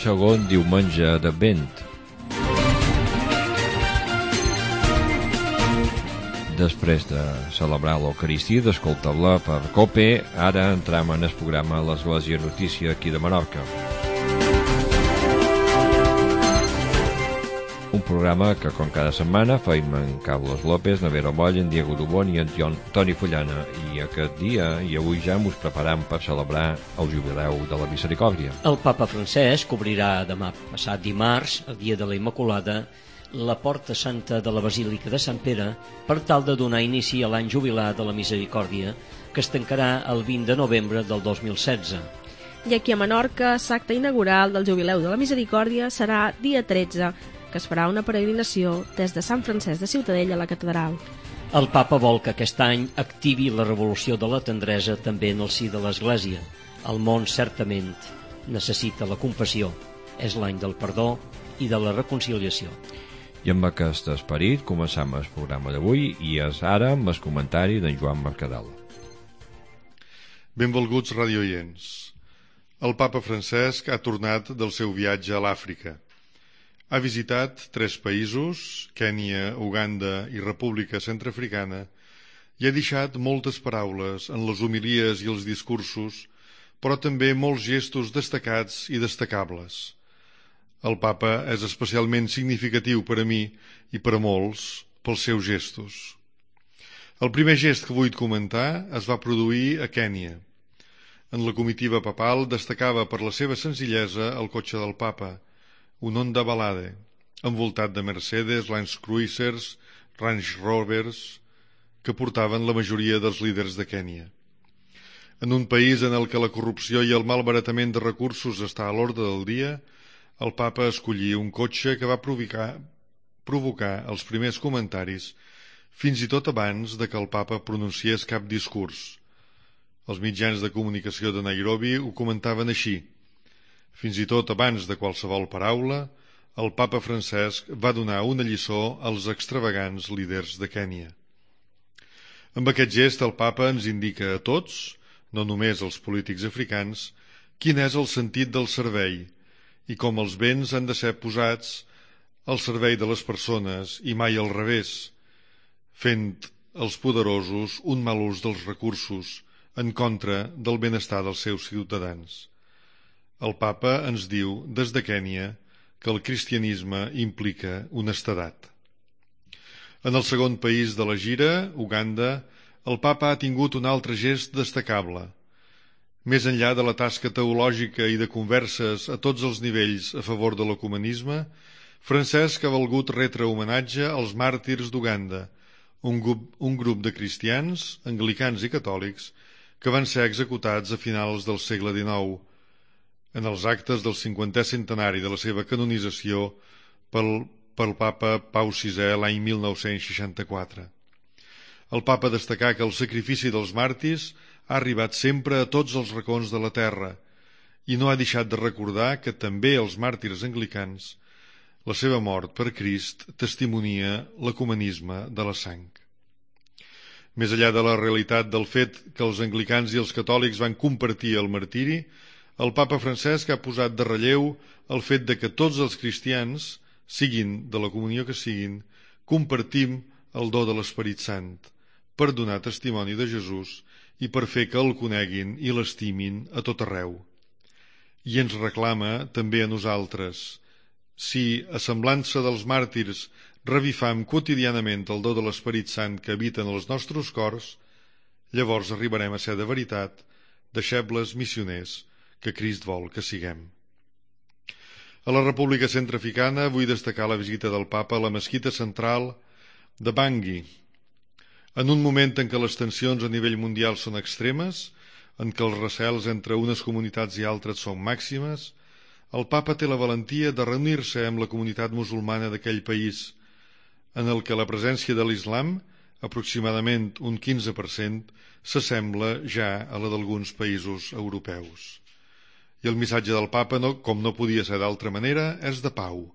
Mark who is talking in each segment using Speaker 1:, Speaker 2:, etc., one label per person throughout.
Speaker 1: segon diumenge d'Advent. Després de celebrar l'Eucaristia, d'escoltar-la per COPE, ara entrem en el programa l'Església Notícia aquí de Menorca. Un programa que, com cada setmana, feim en Carlos López, Navero Moll, en Diego Dubón i en Toni Fullana. I aquest dia i avui ja ens preparam per celebrar el Jubileu de la Misericòrdia.
Speaker 2: El Papa Francesc obrirà demà passat dimarts, el dia de la Immaculada, la Porta Santa de la Basílica de Sant Pere per tal de donar inici a l'any jubilar de la Misericòrdia, que es tancarà el 20 de novembre del 2016.
Speaker 3: I aquí a Menorca, l'acte inaugural del Jubileu de la Misericòrdia serà dia 13, que es farà una peregrinació des de Sant Francesc de Ciutadella a la catedral.
Speaker 2: El Papa vol que aquest any activi la revolució de la tendresa també en el si de l'Església. El món certament necessita la compassió. És l'any del perdó i de la reconciliació.
Speaker 1: I amb aquest esperit començam el programa d'avui i és ara amb el comentari d'en Joan Mercadal.
Speaker 4: Benvolguts radioients. El Papa Francesc ha tornat del seu viatge a l'Àfrica. Ha visitat 3 països, Kènia, Uganda i República Centreafricana, i ha deixat moltes paraules en les homilies i els discursos, però també molts gestos destacats i destacables. El Papa és especialment significatiu per a mi i per a molts pels seus gestos. El primer gest que vull comentar es va produir a Kènia. En la comitiva papal destacava per la seva senzillesa el cotxe del Papa, un Honda Ballade, envoltat de Mercedes, Land Cruisers, Range Rovers, que portaven la majoria dels líders de Kènia. En un país en el que la corrupció i el malbaratament de recursos està a l'ordre del dia, el Papa escollí un cotxe que va provocar els primers comentaris, fins i tot abans de que el Papa pronunciés cap discurs. Els mitjans de comunicació de Nairobi ho comentaven així. Fins i tot abans de qualsevol paraula, el Papa Francesc va donar una lliçó als extravagants líders de Kènia. Amb aquest gest el Papa ens indica a tots, no només als polítics africans, quin és el sentit del servei i com els béns han de ser posats al servei de les persones i mai al revés, fent els poderosos un mal ús dels recursos en contra del benestar dels seus ciutadans. El Papa ens diu, des de Kènia, que el cristianisme implica honestedat. En el segon país de la gira, Uganda, el Papa ha tingut un altre gest destacable. Més enllà de la tasca teològica i de converses a tots els nivells a favor de l'ecumenisme, Francesc ha volgut retre homenatge als màrtirs d'Uganda, un grup de cristians, anglicans i catòlics, que van ser executats a finals del segle XIX, en els actes del 50è centenari de la seva canonització pel Papa Pau VI l'any 1964. El Papa destacà que el sacrifici dels màrtirs ha arribat sempre a tots els racons de la terra i no ha deixat de recordar que també els màrtirs anglicans, la seva mort per Crist, testimonia l'ecumenisme de la sang. Més enllà de la realitat del fet que els anglicans i els catòlics van compartir el martiri, el Papa Francesc ha posat de relleu el fet de que tots els cristians, siguin de la comunió que siguin, compartim el do de l'Esperit Sant per donar testimoni de Jesús i per fer que el coneguin i l'estimin a tot arreu. I ens reclama també a nosaltres. Si, a semblança dels màrtirs, revifam quotidianament el do de l'Esperit Sant que habita en els nostres cors, llavors arribarem a ser de veritat deixebles missioners que Crist vol que siguem. A la República Centreafricana vull destacar la visita del Papa a la mesquita central de Bangui. En un moment en què les tensions a nivell mundial són extremes, en què els recels entre unes comunitats i altres són màximes, el Papa té la valentia de reunir-se amb la comunitat musulmana d'aquell país, en el que la presència de l'islam, aproximadament un 15%, s'assembla ja a la d'alguns països europeus. I el missatge del Papa, com no podia ser d'altra manera, és de pau.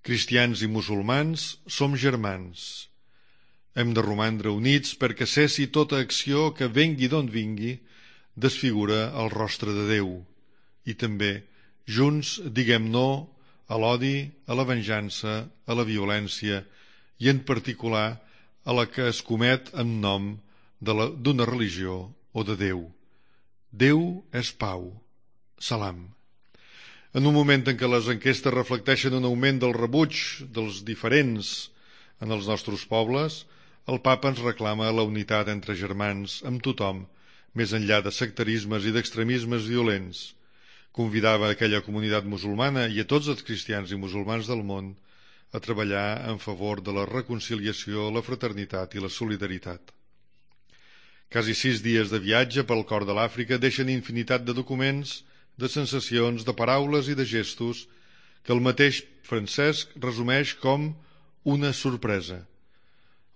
Speaker 4: Cristians i musulmans som germans. Hem de romandre units perquè cessi tota acció que vengui d'on vingui desfigura el rostre de Déu i també Junts diguem no a l'odi, a la venjança, a la violència i en particular a la que es comet en nom d'una religió o de Déu. Déu és pau. Salam. En un moment en què les enquestes reflecteixen un augment del rebuig dels diferents en els nostres pobles, el papa ens reclama la unitat entre germans amb tothom, més enllà de sectarismes i d'extremismes violents. Convidava aquella comunitat musulmana i a tots els cristians i musulmans del món a treballar en favor de la reconciliació, la fraternitat i la solidaritat. Quasi 6 dies de viatge pel cor de l'Àfrica deixen infinitat de documents, de sensacions, de paraules i de gestos que el mateix Francesc resumeix com una sorpresa.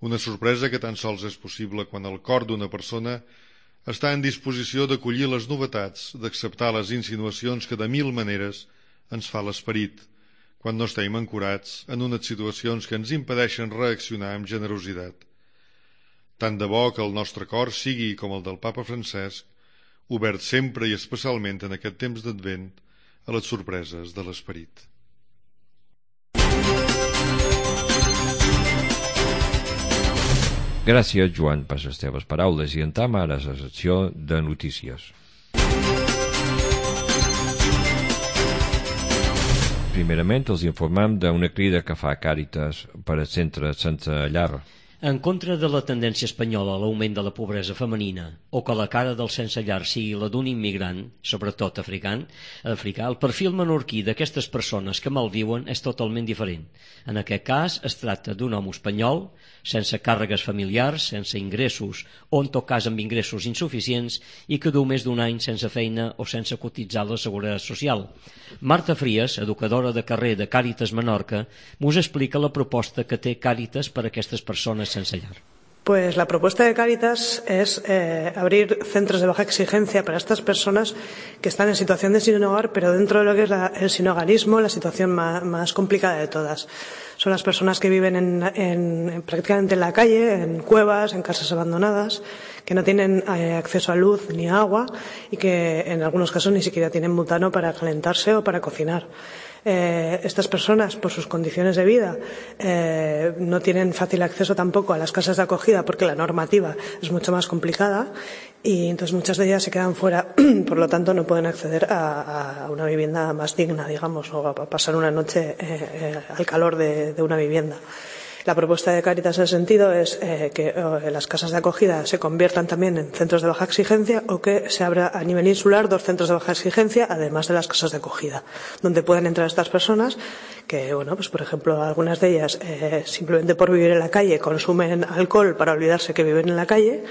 Speaker 4: Una sorpresa que tan sols és possible quan el cor d'una persona està en disposició d'acollir les novetats, d'acceptar les insinuacions que de 1000 maneres ens fa l'esperit, quan no estem ancorats en unes situacions que ens impedeixen reaccionar amb generositat. Tant de bo que el nostre cor sigui com el del papa Francesc, obert sempre i especialment en aquest temps d'Advent a les sorpreses de l'esperit.
Speaker 1: Gràcies, Joan, per les teves paraules, i entam ara a la secció de notícies. Primerament els informem d'una crida que fa Càritas per al centre sense llar.
Speaker 2: En contra de la tendència espanyola a l'augment de la pobresa femenina o que la cara del sense llar sigui la d'un immigrant, sobretot africà, el perfil menorquí d'aquestes persones que malviuen és totalment diferent. En aquest cas es tracta d'un home espanyol, sense càrregues familiars, sense ingressos o en tot cas amb ingressos insuficients i que du més d'un any sense feina o sense cotitzar la Seguretat Social. Marta Frías, educadora de carrer de Càritas Menorca, mos explica la proposta que té Càritas per a aquestes persones sense llar.
Speaker 5: Pues la propuesta de Cáritas es abrir centros de baja exigencia para estas personas que están en situación de sin hogar, pero dentro de lo que es el sinhogarismo, la situación más complicada de todas. Son las personas que viven prácticamente en la calle, en cuevas, en casas abandonadas, que no tienen acceso a luz ni a agua y que en algunos casos ni siquiera tienen butano para calentarse o para cocinar. Estas personas, por sus condiciones de vida, no tienen fácil acceso tampoco a las casas de acogida porque la normativa es mucho más complicada y entonces muchas de ellas se quedan fuera, por lo tanto no pueden acceder a una vivienda más digna, digamos, o a pasar una noche al calor de una vivienda. La propuesta de Cáritas en ese sentido es que las casas de acogida se conviertan también en centros de baja exigencia o que se abra a nivel insular 2 centros de baja exigencia, además de las casas de acogida, donde pueden entrar estas personas que, bueno, pues por ejemplo, algunas de ellas simplemente por vivir en la calle consumen alcohol para olvidarse que viven en la calle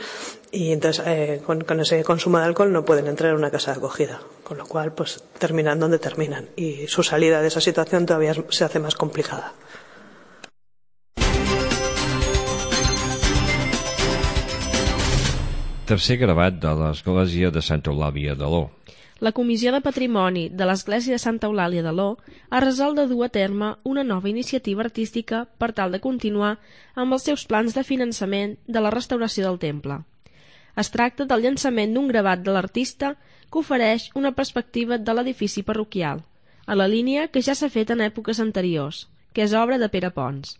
Speaker 5: y entonces con ese consumo de alcohol no pueden entrar en una casa de acogida, con lo cual pues terminan donde terminan y su salida de esa situación todavía se hace más complicada.
Speaker 1: Tercer gravat de l'Església de Santa Eulàlia de l'O.
Speaker 3: La Comissió de Patrimoni de l'Església de Santa Eulàlia de l'O ha resolt de dur a terme una nova iniciativa artística per tal de continuar amb els seus plans de finançament de la restauració del temple. Es tracta del llançament d'un gravat de l'artista que ofereix una perspectiva de l'edifici parroquial, a la línia que ja s'ha fet en èpoques anteriors, que és obra de Pere Pons.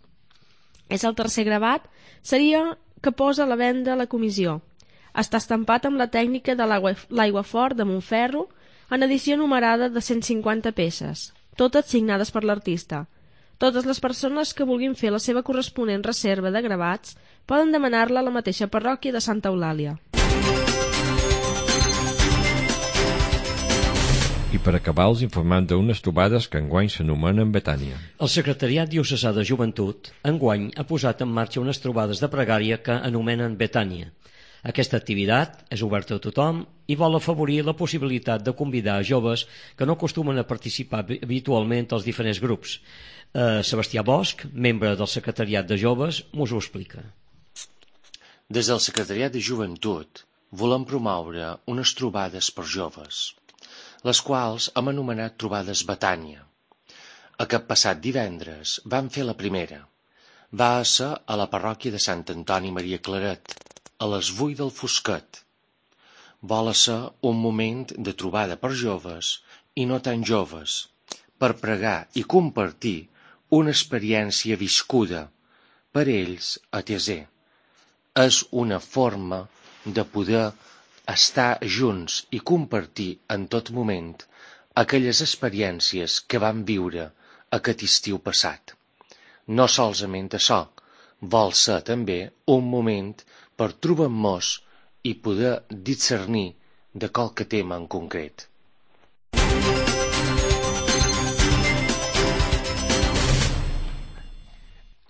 Speaker 3: És el tercer gravat, seria que posa a la venda la comissió. Està estampat amb la tècnica de l'aiguafort de Montferro en edició numerada de 150 peces, totes signades per l'artista. Totes les persones que vulguin fer la seva corresponent reserva de gravats poden demanar-la a la mateixa parròquia de Santa Eulàlia.
Speaker 1: I per acabar els informant d'unes trobades que enguany s'anomenen Betània.
Speaker 2: El Secretariat Diocesà de Joventut enguany ha posat en marxa unes trobades de pregària que anomenen Betània. Aquesta activitat és oberta a tothom i vol afavorir la possibilitat de convidar a joves que no acostumen a participar habitualment als diferents grups. Sebastià Bosch, membre del Secretariat de Joves, mos ho explica.
Speaker 6: Des del Secretariat de Joventut volem promoure unes trobades per joves, les quals hem anomenat trobades Betània. Aquest passat divendres vam fer la primera. Va ser a la parròquia de Sant Antoni Maria Claret, a les 8 del Fosquet. Vol ser un moment de trobada per joves i no tan joves, per pregar i compartir una experiència viscuda, per ells atesé. És una forma de poder estar junts i compartir en tot moment aquelles experiències que vam viure aquest estiu passat. No solament això, vol ser també un moment per trobar-nos i poder discernir de qualque tema en concret.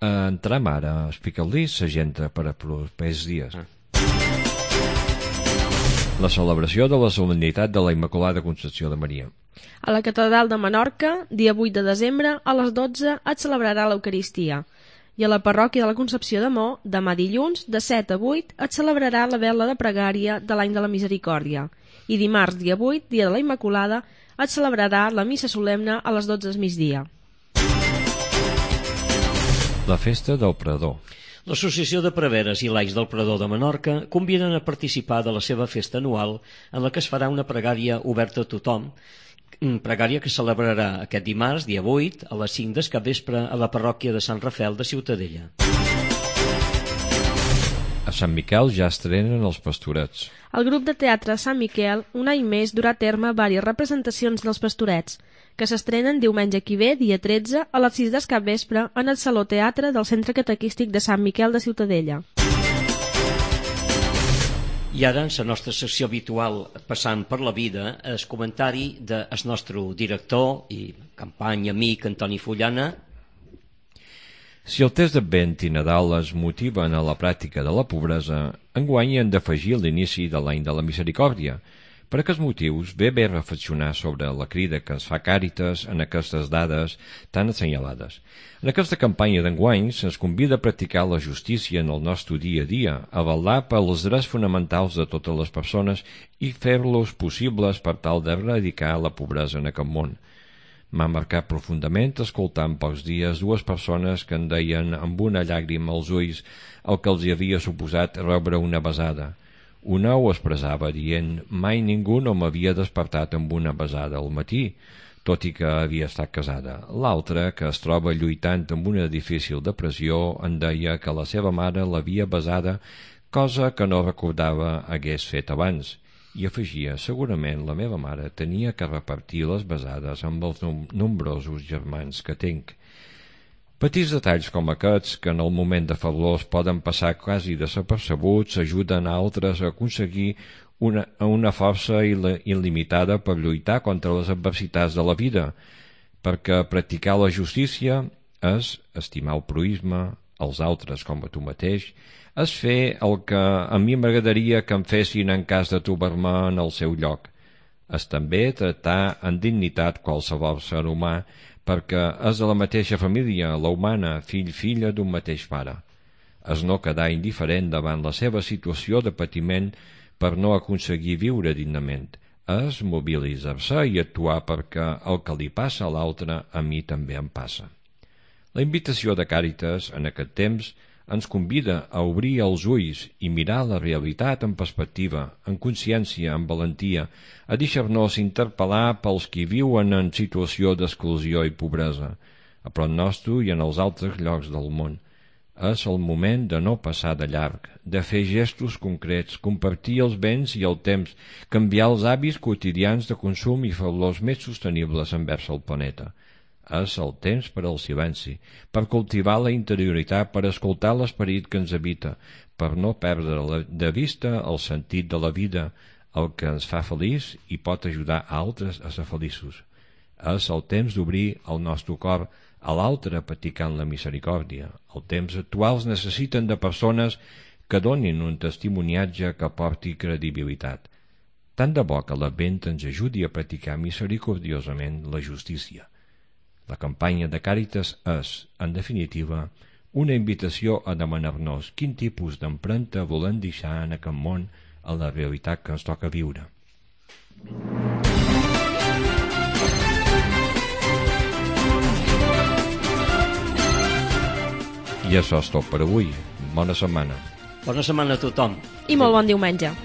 Speaker 1: Entrem ara a explicar-li l'agenda per a propers dies. La celebració de la solemnitat de la Immaculada Concepció de Maria.
Speaker 3: A la Catedral de Menorca, dia 8 de desembre, a les 12 es celebrarà l'Eucaristia. I a la Parròquia de la Concepció de Mo, demà dilluns, de 7 a 8, es celebrarà la vela de pregària de l'any de la Misericòrdia. I dimarts, dia 8, dia de la Immaculada, es celebrarà la missa solemne a les 12 del migdia.
Speaker 1: La festa del Predor.
Speaker 2: L'Associació de Preveres i Laics del Predor de Menorca conviden a participar de la seva festa anual en la que es farà una pregària oberta a tothom, pregària que celebrarà aquest dimarts, dia 8, a les 5 del capvespre a la parròquia de Sant Rafel de Ciutadella.
Speaker 1: A Sant Miquel ja estrenen els Pastorets.
Speaker 3: El grup de teatre Sant Miquel un any més durà a terme diverses representacions dels Pastorets, que s'estrenen diumenge que ve, dia 13, a les 6 del capvespre en el Saló Teatre del Centre Catequístic de Sant Miquel de Ciutadella.
Speaker 2: I ara, en la nostra secció habitual, passant per la vida, el comentari del nostre director i company amic Antoni Fullana.
Speaker 1: Si el test d'Advent i Nadal es motiven a la pràctica de la pobresa, enguany han d'afegir l'inici de l'any de la Misericòrdia. Per aquests motius, ve bé reflexionar sobre la crida que ens fa Càritas en aquestes dades tan assenyalades. En aquesta campanya d'enguany se'ns convida a practicar la justícia en el nostre dia a dia, a vetllar per els drets fonamentals de totes les persones i fer-los possibles per tal d'erradicar la pobresa en aquest món. M'ha marcat profundament escoltar en pocs dies dues persones que em deien amb una llàgrima als ulls el que els havia suposat rebre una besada. Una ho expressava dient «Mai ningú no m'havia despertat amb una besada al matí», tot i que havia estat casada. L'altra, que es troba lluitant amb una difícil depressió, en deia que la seva mare l'havia besada, cosa que no recordava hagués fet abans. I afegia, segurament la meva mare tenia que repartir les besades amb els nombrosos germans que tinc. Petits detalls com aquests, que en el moment de fablós poden passar quasi desapercebuts, ajuden a altres a aconseguir una força il·limitada per lluitar contra les adversitats de la vida, perquè practicar la justícia és estimar el proïsme, els altres com a tu mateix, és fer el que a mi m'agradaria que em fessin en cas de trobar-me en el seu lloc. És també tractar amb dignitat qualsevol ser humà, perquè és de la mateixa família, la humana, fill-filla d'un mateix pare. És no quedar indiferent davant la seva situació de patiment per no aconseguir viure dignament. És mobilitzar-se i actuar perquè el que li passa a l'altre a mi també em passa. La invitació de Càritas en aquest temps ens convida a obrir els ulls i mirar la realitat en perspectiva, en consciència, en valentia, a deixar-nos interpel·lar pels qui viuen en situació d'exclusió i pobresa, a prop nostre i en els altres llocs del món. És el moment de no passar de llarg, de fer gestos concrets, compartir els béns i el temps, canviar els hàbits quotidians de consum i fer-los més sostenibles envers el planeta. És el temps per al silenci, per cultivar la interioritat, per escoltar l'esperit que ens habita, per no perdre de vista el sentit de la vida, el que ens fa feliç i pot ajudar a altres a ser feliços. És el temps d'obrir el nostre cor a l'altre practicant la misericòrdia. Els temps actuals necessiten de persones que donin un testimoniatge que porti credibilitat. Tant de bo que l'Advent ens ajudi a practicar misericordiosament la justícia. La campanya de Càritas és, en definitiva, una invitació a demanar-nos quin tipus d'empremta volem deixar en aquest món a la realitat que ens toca viure. I això és tot per avui. Bona setmana.
Speaker 2: Bona setmana a tothom.
Speaker 3: I molt bon diumenge.